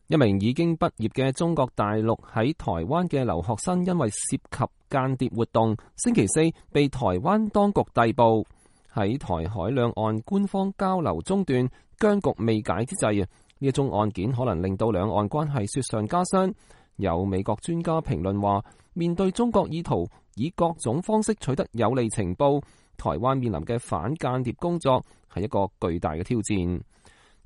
一名已經畢業嘅中國大陸喺台灣嘅留學生，因為涉及間諜活動，星期四被台灣當局逮捕。喺台海兩岸官方交流中斷、僵局未解之際，呢一宗案件可能令到兩岸關係雪上加霜。有美國專家評論話，面對中國意圖以各種方式取得有利情報，台灣面臨嘅反間諜工作係一個巨大嘅挑戰。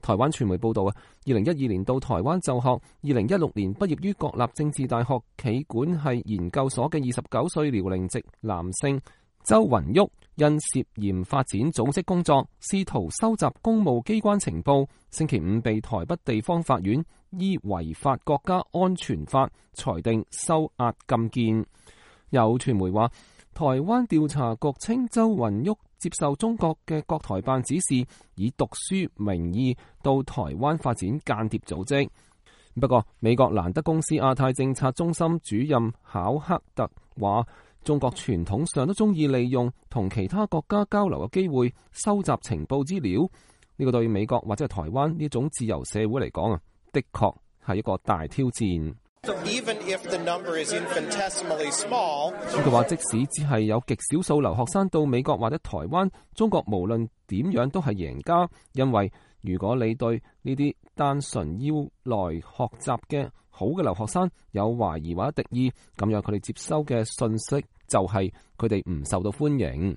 台灣傳媒報道，2012年到台灣就學，2016年畢業於國立政治大學企管系研究所嘅29歲遼寧籍男性周雲旭，因涉嫌發展組織工作，試圖收集公務機關情報，星期五被台北地方法院依違法國家安全法裁定收押禁見。有傳媒話，台灣調查局稱周雲旭接受中國嘅國台辦指示，以讀書名義到台灣發展間諜組織。不過，美國蘭德公司亞太政策中心主任考克特話，中國傳統上都中意利用同其他國家交流嘅機會收集情報資料。呢個對美國或者係台灣呢種自由社會嚟講的確係一個大挑戰。佢話，即使只係有極少數留學生到美國或者台灣，中國無論點樣都係贏家，因為如果你對呢啲單純要來學習嘅好嘅留學生有懷疑或者敵意，咁樣佢哋接收嘅信息就係佢哋唔受到歡迎。